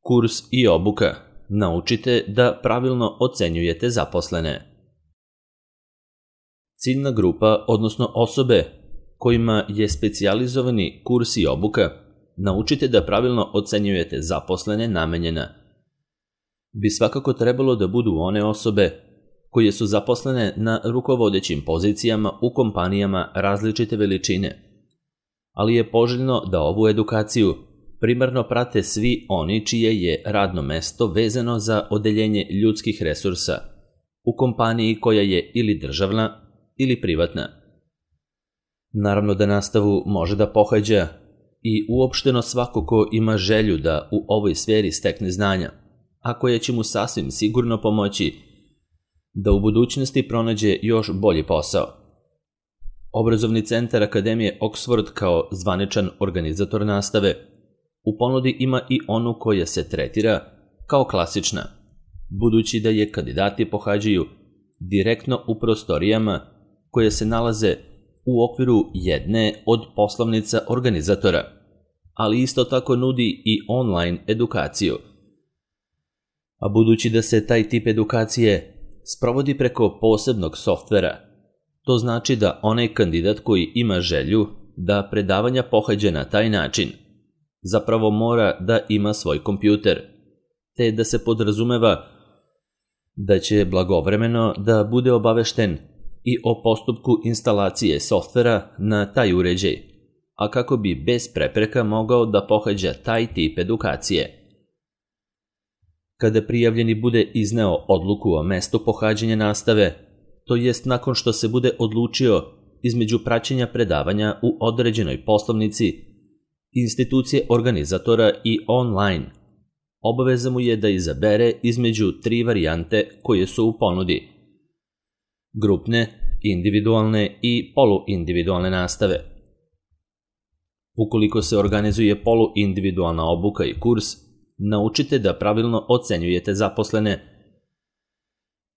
Kurs i obuka. Naučite da pravilno ocenjujete zaposlene. Ciljna grupa, odnosno osobe kojima je specijalizovani kurs i obuka, naučite da pravilno ocenjujete zaposlene namenjena, bi svakako trebalo da budu one osobe koje su zaposlene na rukovodećim pozicijama u kompanijama različite veličine, ali je poželjno da ovu edukaciju primarno prate svi oni čije je radno mesto vezano za odeljenje ljudskih resursa u kompaniji koja je ili državna ili privatna. Naravno da nastavu može da pohađa i uopšteno svako ko ima želju da u ovoj sferi stekne znanja, a koje će mu sasvim sigurno pomoći da u budućnosti pronađe još bolji posao. Obrazovni centar Akademije Oxford kao zvaničan organizator nastave u ponudi ima i onu koja se tretira kao klasična, budući da je kandidati pohađaju direktno u prostorijama koje se nalaze u okviru jedne od poslovnica organizatora, ali isto tako nudi i online edukaciju. A budući da se taj tip edukacije sprovodi preko posebnog softvera, to znači da onaj kandidat koji ima želju da predavanja pohađa na taj način zapravo mora da ima svoj kompjuter, te da se podrazumeva da će blagovremeno da bude obavešten i o postupku instalacije softvera na taj uređaj, a kako bi bez prepreka mogao da pohađa taj tip edukacije. Kada prijavljeni bude izneo odluku o mestu pohađanja nastave, to jest nakon što se bude odlučio između praćenja predavanja u određenoj poslovnici, institucije organizatora i online, obaveza mu je da izabere između 3 varijante koje su u ponudi: grupne, individualne i poluindividualne nastave. Ukoliko se organizuje poluindividualna obuka i kurs, naučite da pravilno ocenjujete zaposlene,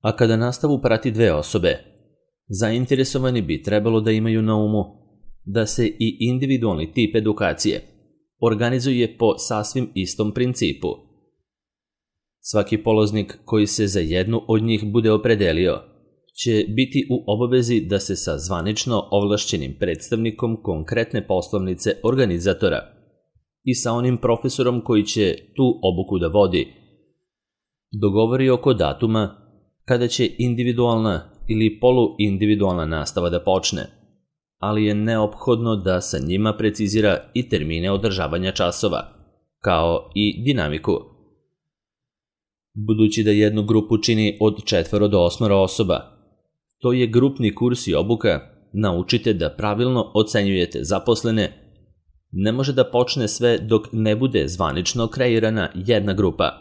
a kada nastavu prati 2 osobe, zainteresovani bi trebalo da imaju na umu da se i individualni tip edukacije organizuje po sasvim istom principu. Svaki polaznik koji se za jednu od njih bude opredelio će biti u obavezi da se sa zvanično ovlašćenim predstavnikom konkretne poslovnice organizatora i sa onim profesorom koji će tu obuku da vodi dogovori oko datuma kada će individualna ili poluindividualna nastava da počne, ali je neophodno da sa njima precizira i termine održavanja časova, kao i dinamiku. Budući da jednu grupu čini od 4 do 8 osoba, to je grupni kurs i obuka, naučite da pravilno ocenjujete zaposlene, ne može da počne sve dok ne bude zvanično kreirana jedna grupa,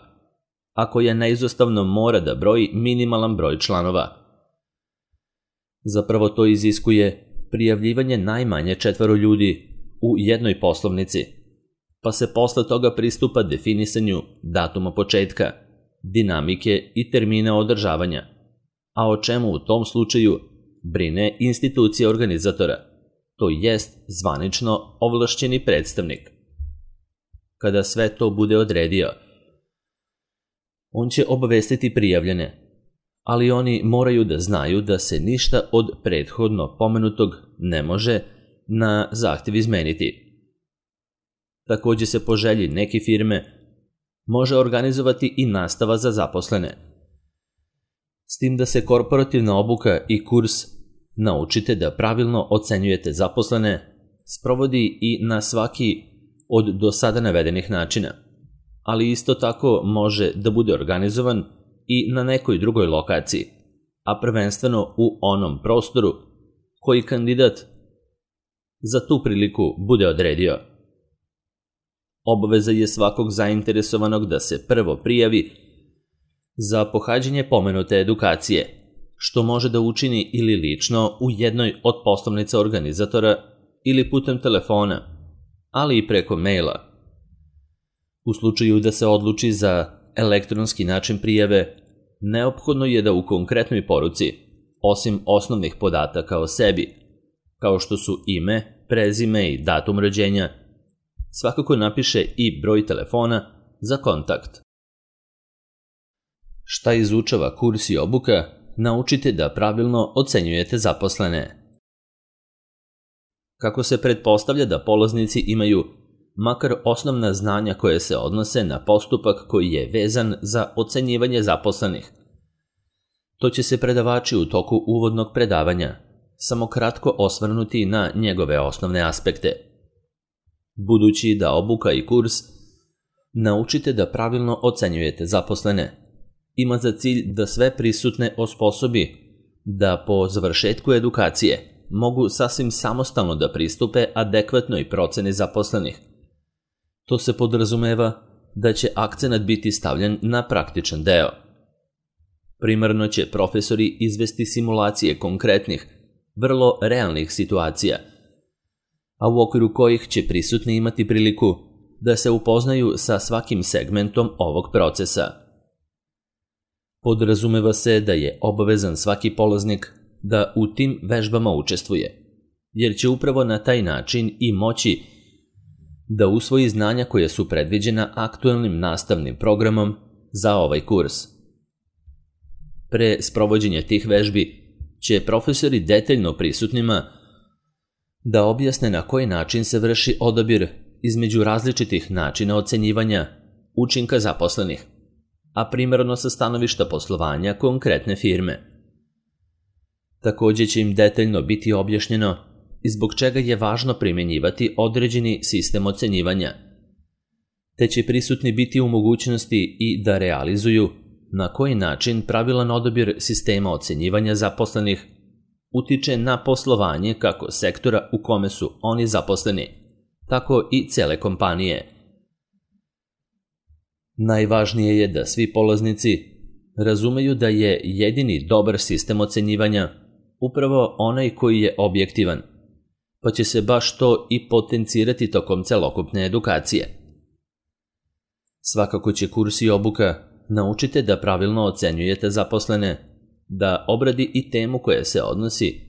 a koja neizostavno mora da broji minimalan broj članova. Zapravo to iziskuje prijavljivanje najmanje 4 ljudi u jednoj poslovnici, pa se posle toga pristupa definisanju datuma početka, dinamike i termina održavanja, a o čemu u tom slučaju brine institucija organizatora, to jest zvanično ovlašćeni predstavnik. Kada sve to bude odredio, on će obavestiti prijavljene, ali oni moraju da znaju da se ništa od prethodno pomenutog ne može na zahtev izmeniti. Takođe se po želji neke firme može organizovati i nastava za zaposlene, s tim da se korporativna obuka i kurs naučite da pravilno ocenjujete zaposlene sprovodi i na svaki od do sada navedenih načina, ali isto tako može da bude organizovan i na nekoj drugoj lokaciji, a prvenstveno u onom prostoru koji kandidat za tu priliku bude odredio. Obaveza je svakog zainteresovanog da se prvo prijavi za pohađanje pomenute edukacije, što može da učini ili lično u jednoj od poslovnica organizatora ili putem telefona, ali i preko maila. U slučaju da se odluči za elektronski način prijave, neophodno je da u konkretnoj poruci, osim osnovnih podataka o sebi, kao što su ime, prezime i datum rođenja, svakako napiše i broj telefona za kontakt. Šta izučava kurs i obuka? Naučite da pravilno ocenjujete zaposlene. Kako se pretpostavlja da polaznici imaju makar osnovna znanja koje se odnose na postupak koji je vezan za ocenjivanje zaposlenih. To će se predavači u toku uvodnog predavanja samo kratko osvrnuti na njegove osnovne aspekte. Budući da obuka i kurs naučite da pravilno ocenjujete zaposlene, ima za cilj da sve prisutne osposobi da po završetku edukacije mogu sasvim samostalno da pristupe adekvatnoj proceni zaposlenih. To se podrazumeva da će akcenat biti stavljen na praktičan deo. Primarno će profesori izvesti simulacije konkretnih, vrlo realnih situacija, a u okviru kojih će prisutni imati priliku da se upoznaju sa svakim segmentom ovog procesa. Podrazumeva se da je obavezan svaki polaznik da u tim vežbama učestvuje, jer će upravo na taj način i moći da usvoji znanja koje su predviđena aktuelnim nastavnim programom za ovaj kurs. Pre sprovođenja tih vežbi će profesori detaljno prisutnima da objasne na koji način se vrši odabir između različitih načina ocenjivanja učinka zaposlenih, a primarno sa stanovišta poslovanja konkretne firme. Takođe će im detaljno biti objašnjeno i zbog čega je važno primjenjivati određeni sistem ocenjivanja, te će prisutni biti u mogućnosti i da realizuju na koji način pravilan odabir sistema ocenjivanja zaposlenih utiče na poslovanje kako sektora u kome su oni zaposleni, tako i cele kompanije. Najvažnije je da svi polaznici razumeju da je jedini dobar sistem ocenjivanja upravo onaj koji je objektivan, pa će se baš to i potencirati tokom celokupne edukacije. Svakako će kurs i obuka naučite da pravilno ocenjujete zaposlene, da obradi i temu koja se odnosi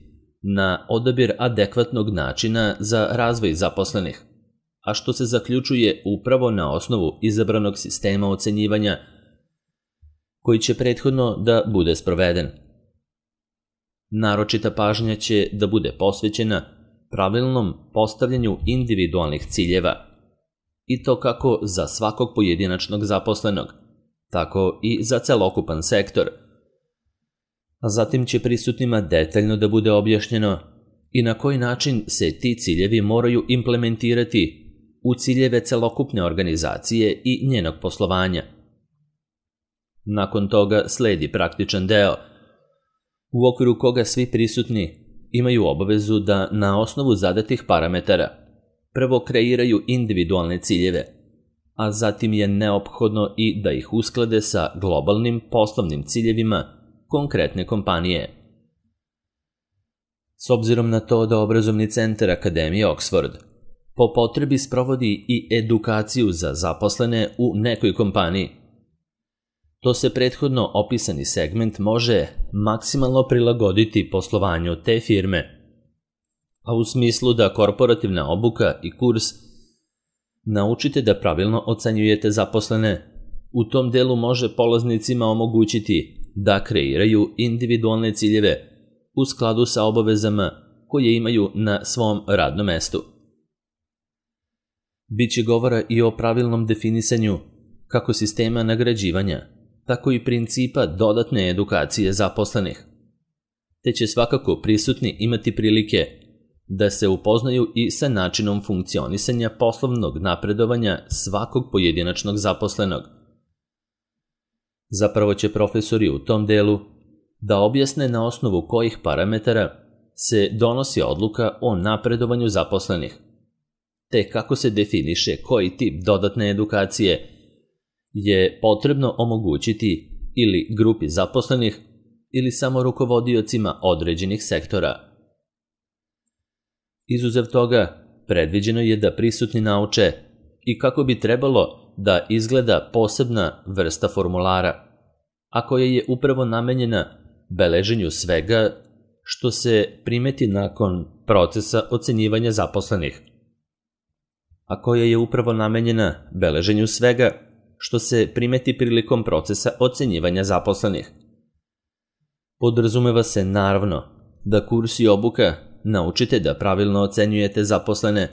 na odabir adekvatnog načina za razvoj zaposlenih, a što se zaključuje upravo na osnovu izabranog sistema ocenjivanja koji će prethodno da bude sproveden. Naročita pažnja će da bude posvećena pravilnom postavljanju individualnih ciljeva, i to kako za svakog pojedinačnog zaposlenog, tako i za celokupan sektor. A zatim će prisutnima detaljno da bude objašnjeno i na koji način se ti ciljevi moraju implementirati u ciljeve celokupne organizacije i njenog poslovanja. Nakon toga sledi praktičan deo, u okviru koga svi prisutni imaju obavezu da na osnovu zadatih parametara prvo kreiraju individualne ciljeve, a zatim je neophodno i da ih usklade sa globalnim poslovnim ciljevima konkretne kompanije. S obzirom na to da obrazovni centar Akademije Oxford po potrebi sprovodi i edukaciju za zaposlene u nekoj kompaniji, to se prethodno opisani segment može maksimalno prilagoditi poslovanju te firme, a u smislu da korporativna obuka i kurs naučite da pravilno ocenjujete zaposlene, u tom delu može polaznicima omogućiti da kreiraju individualne ciljeve u skladu sa obavezama koje imaju na svom radnom mestu. Biće govora i o pravilnom definisanju kako sistema nagrađivanja, tako i principa dodatne edukacije zaposlenih, te će svakako prisutni imati prilike da se upoznaju i sa načinom funkcionisanja poslovnog napredovanja svakog pojedinačnog zaposlenog. Zapravo će profesori u tom delu da objasne na osnovu kojih parametara se donosi odluka o napredovanju zaposlenih, te kako se definiše koji tip dodatne edukacije je potrebno omogućiti ili grupi zaposlenih ili samo rukovodiocima određenih sektora. Izuzev toga, predviđeno je da prisutni nauče i kako bi trebalo da izgleda posebna vrsta formulara, a koja je upravo namenjena beleženju svega što se primeti nakon procesa ocenjivanja zaposlenih. A koja je upravo namenjena beleženju svega što se primeti prilikom procesa ocenjivanja zaposlenih. Podrazumeva se naravno da kurs i obuka naučite da pravilno ocenjujete zaposlene.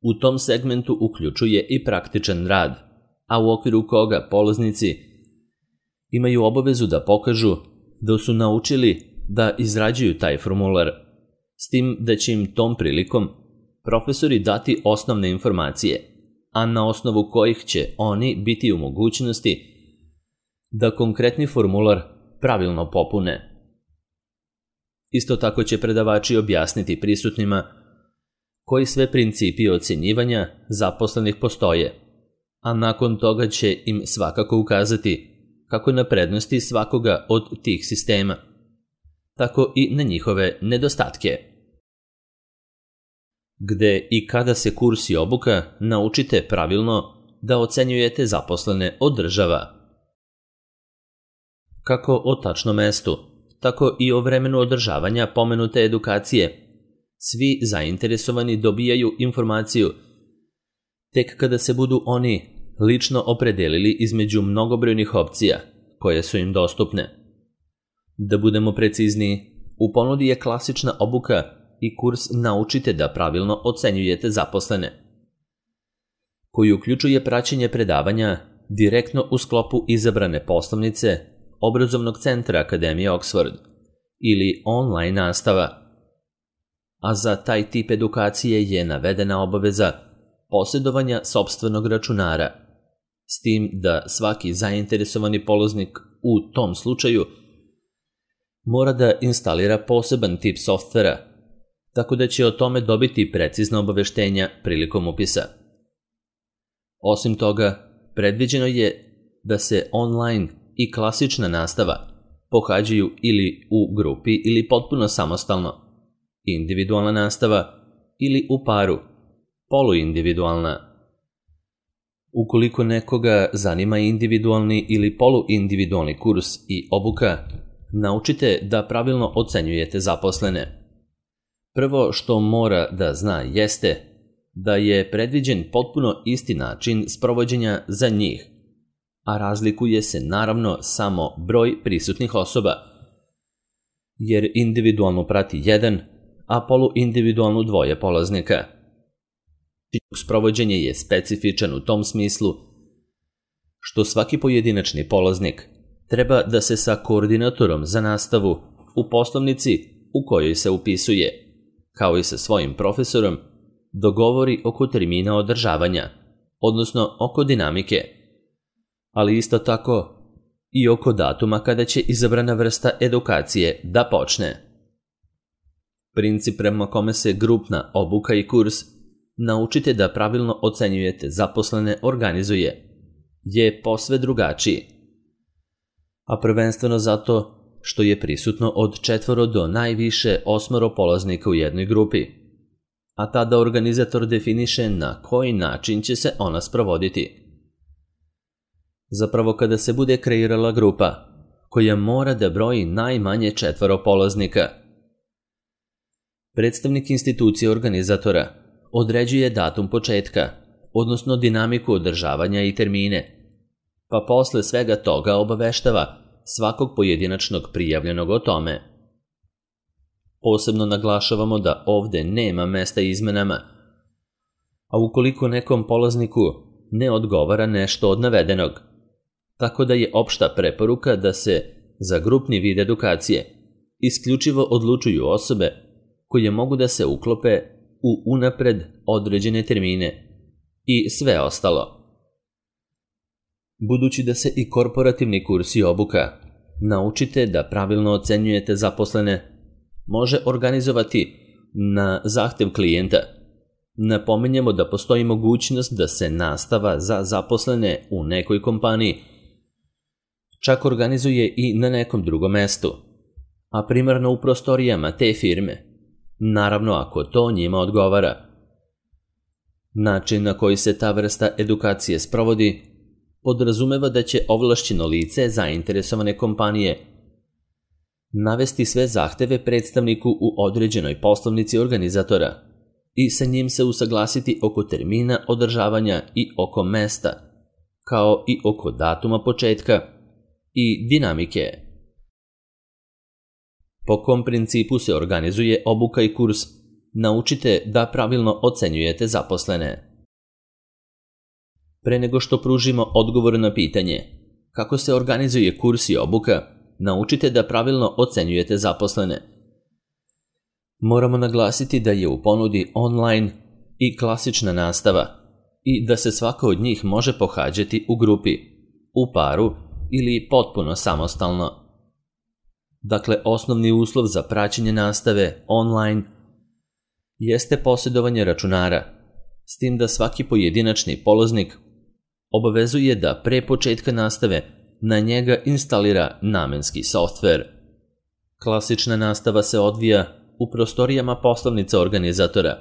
U tom segmentu uključuje i praktičan rad, a u okviru koga polaznici imaju obavezu da pokažu da su naučili da izrađuju taj formular, s tim da će im tom prilikom profesori dati osnovne informacije, a na osnovu kojih će oni biti u mogućnosti da konkretni formular pravilno popune. Isto tako će predavači objasniti prisutnima koji sve principi ocenjivanja zaposlenih postoje, a nakon toga će im svakako ukazati kako na prednosti svakoga od tih sistema, tako i na njihove nedostatke. Gde i kada se kurs i obuka naučite pravilno da ocenjujete zaposlene održava. Kako o tačnom mestu, tako i o vremenu održavanja pomenute edukacije, svi zainteresovani dobijaju informaciju tek kada se budu oni lično opredelili između mnogobrojnih opcija koje su im dostupne. Da budemo precizniji, u ponudi je klasična obuka i kurs Naučite da pravilno ocenjujete zaposlene, koji uključuje praćenje predavanja direktno u sklopu izabrane poslovnice Obrazovnog centra Akademije Oxford ili online nastava, a za taj tip edukacije je navedena obaveza posjedovanja sopstvenog računara, s tim da svaki zainteresovani polaznik u tom slučaju mora da instalira poseban tip softvera, tako da će o tome dobiti precizna obaveštenja prilikom upisa. Osim toga, predviđeno je da se online i klasična nastava pohađaju ili u grupi ili potpuno samostalno, individualna nastava ili u paru, poluindividualna. Ukoliko nekoga zanima individualni ili poluindividualni kurs i obuka, naučite da pravilno ocenjujete zaposlene. Prvo što mora da zna jeste da je predviđen potpuno isti način sprovođenja za njih, a razlikuje se naravno samo broj prisutnih osoba, jer individualno prati jedan, a poluindividualno dvoje polaznika. Sprovođenje je specifičan u tom smislu što svaki pojedinačni polaznik treba da se sa koordinatorom za nastavu u poslovnici u kojoj se upisuje, kao i sa svojim profesorom, dogovori oko termina održavanja, odnosno oko dinamike, ali isto tako i oko datuma kada će izabrana vrsta edukacije da počne. Princip prema kome se grupna obuka i kurs Naučite da pravilno ocenjujete zaposlene organizuje je posve drugačiji, a prvenstveno zato što je prisutno od 4 do najviše 8 polaznika u jednoj grupi, a tada organizator definiše na koji način će se ona sprovoditi. Zapravo kada se bude kreirala grupa koja mora da broji najmanje 4 polaznika, predstavnik institucije organizatora određuje datum početka, odnosno dinamiku održavanja i termine, pa posle svega toga obaveštava svakog pojedinačnog prijavljenog o tome. Posebno naglašavamo da ovde nema mesta izmenama, a ukoliko nekom polazniku ne odgovara nešto od navedenog, tako da je opšta preporuka da se za grupni vid edukacije isključivo odlučuju osobe koje mogu da se uklope u unapred određene termine i sve ostalo. Budući da se i korporativni kurs i obuka Naučite da pravilno ocenjujete zaposlene može organizovati na zahtev klijenta, napominjemo da postoji mogućnost da se nastava za zaposlene u nekoj kompaniji čak organizuje i na nekom drugom mestu, a primarno u prostorijama te firme, naravno ako to njima odgovara. Način na koji se ta vrsta edukacije sprovodi podrazumeva da će ovlašćeno lice zainteresovane kompanije navesti sve zahteve predstavniku u određenoj poslovnici organizatora i sa njim se usaglasiti oko termina održavanja i oko mesta, kao i oko datuma početka i dinamike. Po kom principu se organizuje obuka i kurs, naučite da pravilno ocenjujete zaposlene. Pre nego što pružimo odgovor na pitanje kako se organizuje kurs i obuka, naučite da pravilno ocenjujete zaposlene. Moramo naglasiti da je u ponudi online i klasična nastava i da se svaka od njih može pohađati u grupi, u paru ili potpuno samostalno. Dakle, osnovni uslov za praćenje nastave online jeste posjedovanje računara, s tim da svaki pojedinačni polaznik obavezuje da pre početka nastave na njega instalira namenski softver. Klasična nastava se odvija u prostorijama poslovnica organizatora,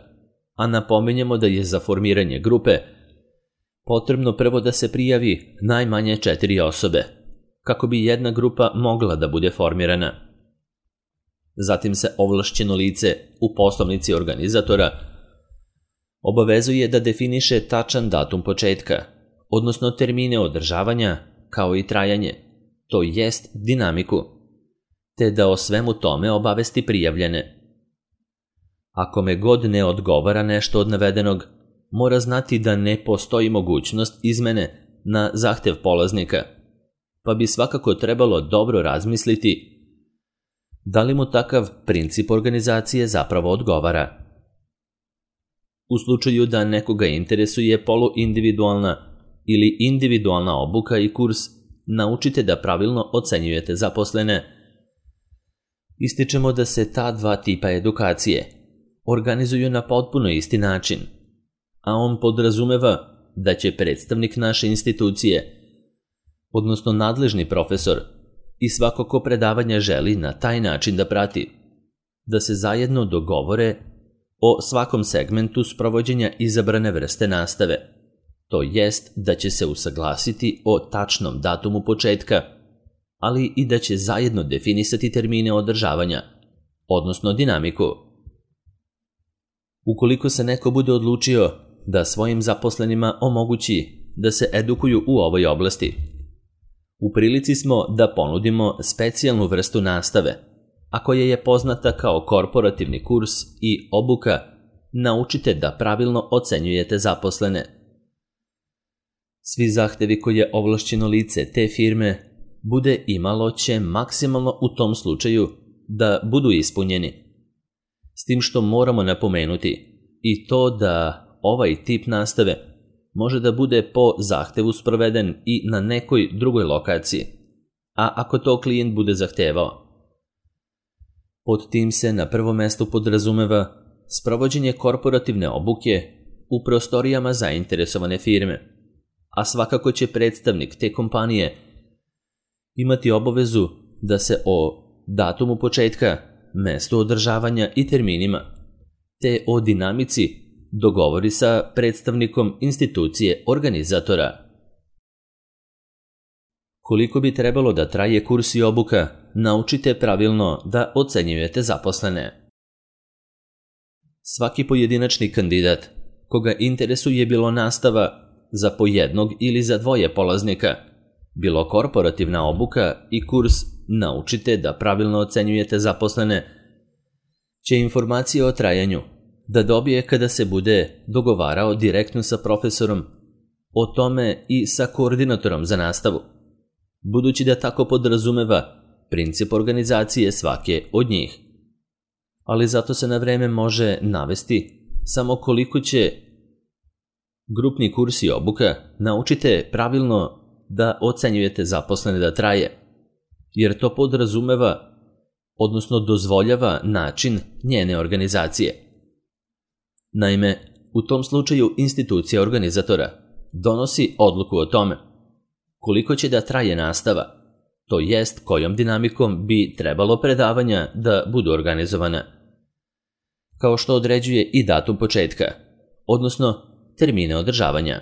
a napominjemo da je za formiranje grupe potrebno prvo da se prijavi najmanje 4 osobe, kako bi jedna grupa mogla da bude formirana. Zatim se ovlašćeno lice u poslovnici organizatora obavezuje da definiše tačan datum početka, odnosno termine održavanja, kao i trajanje, to jest dinamiku, te da o svemu tome obavesti prijavljene. Ako me god ne odgovara nešto od navedenog, mora znati da ne postoji mogućnost izmene na zahtev polaznika, pa bi svakako trebalo dobro razmisliti da li mu takav princip organizacije zapravo odgovara. U slučaju da nekoga interesuje poluindividualna ili individualna obuka i kurs, naučite da pravilno ocenjujete zaposlene. Ističemo da se ta dva tipa edukacije organizuju na potpuno isti način, a on podrazumeva da će predstavnik naše institucije, odnosno nadležni profesor, i svako ko predavanja želi na taj način da prati, da se zajedno dogovore o svakom segmentu sprovođenja izabrane vrste nastave, to jest da će se usaglasiti o tačnom datumu početka, ali i da će zajedno definisati termine održavanja, odnosno dinamiku. Ukoliko se neko bude odlučio da svojim zaposlenima omogući da se edukuju u ovoj oblasti, u prilici smo da ponudimo specijalnu vrstu nastave, a koja je poznata kao korporativni kurs i obuka, naučite da pravilno ocenjujete zaposlene. Svi zahtevi koje ovlašćeno lice te firme bude imalo će maksimalno u tom slučaju da budu ispunjeni. S tim što moramo napomenuti i to da ovaj tip nastave može da bude po zahtevu sproveden i na nekoj drugoj lokaciji, a ako to klijent bude zahtevao. Pod tim se na prvom mestu podrazumeva sprovođenje korporativne obuke u prostorijama zainteresovane firme, a svakako će predstavnik te kompanije imati obavezu da se o datumu početka, mestu održavanja i terminima, te o dinamici dogovori sa predstavnikom institucije organizatora. Koliko bi trebalo da traje kurs i obuka, naučite pravilno da ocenjujete zaposlene. Svaki pojedinačni kandidat koga interesuje bilo nastava za po jednog ili za dvoje polaznika, bilo korporativna obuka i kurs, naučite da pravilno ocenjujete zaposlene, će informacije o trajanju da dobije kada se bude dogovarao direktno sa profesorom, o tome i sa koordinatorom za nastavu, budući da tako podrazumeva princip organizacije svake od njih. Ali zato se na vreme može navesti samo koliko će grupni kurs i obuka, naučite pravilno da ocenjujete zaposlene da traje, jer to podrazumeva, odnosno dozvoljava način njene organizacije. Naime, u tom slučaju institucija organizatora donosi odluku o tome koliko će da traje nastava, to jest kojom dinamikom bi trebalo predavanja da budu organizovana, kao što određuje i datum početka, odnosno termine održavanja.